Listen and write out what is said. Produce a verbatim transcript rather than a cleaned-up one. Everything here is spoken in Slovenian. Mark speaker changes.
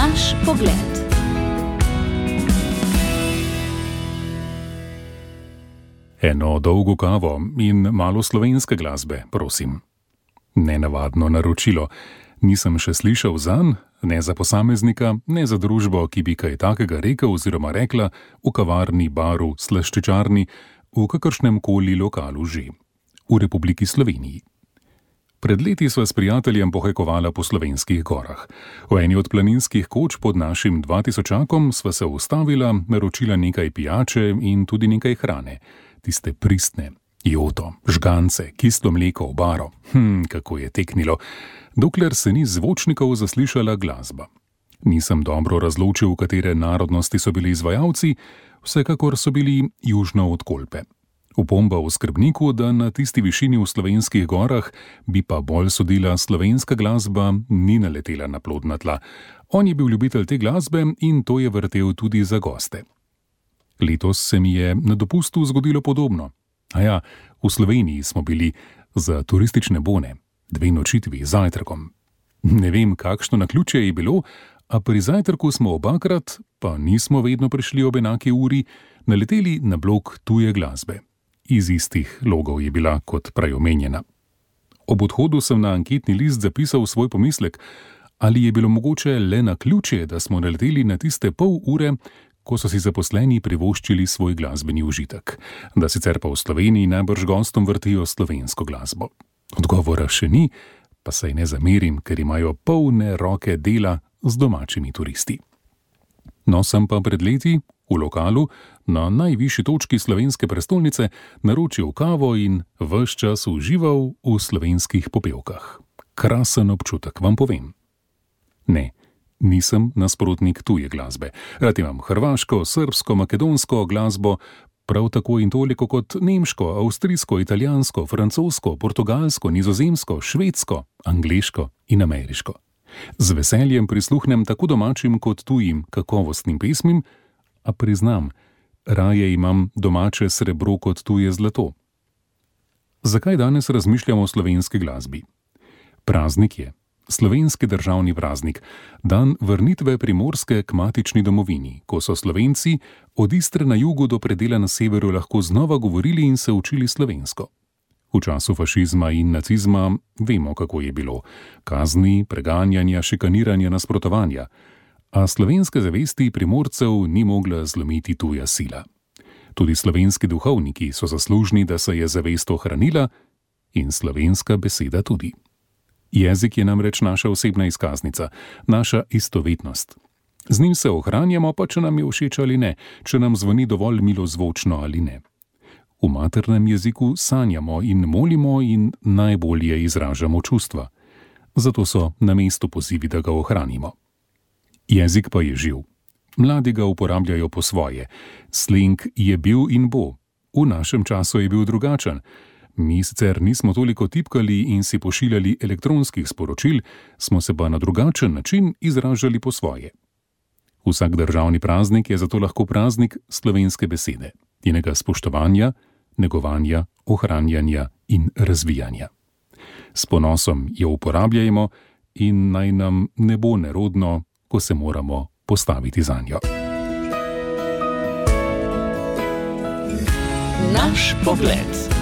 Speaker 1: Naš pogled.
Speaker 2: Eno dolgo kavo in malo slovenske glasbe, prosim. Nenavadno naročilo. Nisem še slišal zanj, ne za posameznika, ne za družbo, ki bi kaj takega rekel oziroma rekla v kavarni, baru, slaščičarni, v kakršnem koli lokalu že. V Republiki Sloveniji. Pred leti sva s prijateljem pohajkovala po slovenskih gorah. V eni od planinskih koč pod našim dvatisočakom sva se ustavila, naročila nekaj pijače in tudi nekaj hrane. Tiste pristne, joto, žgance, kislo mleko v baro. Hm, kako je teknilo, dokler se ni zvočnikov zaslišala glasba. Nisem dobro razločil, katere narodnosti so bili izvajalci, vsekakor so bili južno od Kolpe. Opomba v skrbniku, da na tisti višini v slovenskih gorah bi pa bolj sodila slovenska glasba, ni naletela na plodna tla. On je bil ljubitelj te glasbe in to je vrtel tudi za goste. Letos se mi je na dopustu zgodilo podobno. A ja, v Sloveniji smo bili za turistične bone, dve nočitvi z zajtrkom. Ne vem, kakšno naključje je bilo, a pri zajtrku smo obakrat, pa nismo vedno prišli ob enaki uri, naleteli na blok tuje glasbe. Iz istih logov je bila kot prej omenjena. Ob odhodu sem na anketni list zapisal svoj pomislek, ali je bilo mogoče le naključje, da smo naleteli na tiste pol ure, ko so si zaposleni privoščili svoj glasbeni užitek, da sicer pa v Sloveniji najbrž gostom vrtijo slovensko glasbo. Odgovora še ni, pa saj ne zamerim, ker imajo polne roke dela z domačimi turisti. No, sem pa pred leti v lokalu na najvišji točki slovenske prestolnice naročil kavo in ves čas užival v slovenskih popevkah. Krasen občutek, vam povem. Ne, nisem nasprotnik tuje glasbe. Rad imam hrvaško, srbsko, makedonsko glasbo, prav tako in toliko kot nemško, avstrijsko, italijansko, francosko, portugalsko, nizozemsko, švedsko, angleško in ameriško. Z veseljem prisluhnem tako domačim kot tujim kakovostnim pesmim, a priznam, raje imam domače srebro kot tuje zlato. Zakaj danes razmišljamo o slovenski glasbi? Praznik je. Slovenski državni praznik, dan vrnitve Primorske k matični domovini, ko so Slovenci od Istre na jugu do predela na severu lahko znova govorili in se učili slovensko. V času fašizma in nacizma vemo, kako je bilo. Kazni, preganjanja, šikaniranja, nasprotovanja. A slovenske zavesti Primorcev ni mogla zlomiti tuja sila. Tudi slovenski duhovniki so zaslužni, da se je zavest ohranila in slovenska beseda tudi. Jezik je namreč naša osebna izkaznica, naša istovetnost. Z njim se ohranjamo, pa če nam je všeč ali ne, če nam zvoni dovolj milozvočno ali ne. V maternem jeziku sanjamo in molimo in najbolje izražamo čustva. Zato so na mestu pozivi, da ga ohranimo. Jezik pa je živ. Mladi ga uporabljajo po svoje. Slang je bil in bo. V našem času je bil drugačen. Mi sicer nismo toliko tipkali in si pošiljali elektronskih sporočil, smo se pa na drugačen način izražali po svoje. Vsak državni praznik je zato lahko praznik slovenske besede, njenega spoštovanja, negovanja, ohranjanja in razvijanja. S ponosom jo uporabljajmo in naj nam ne bo nerodno, ko se moramo postaviti zanjo.
Speaker 1: Naš pogled.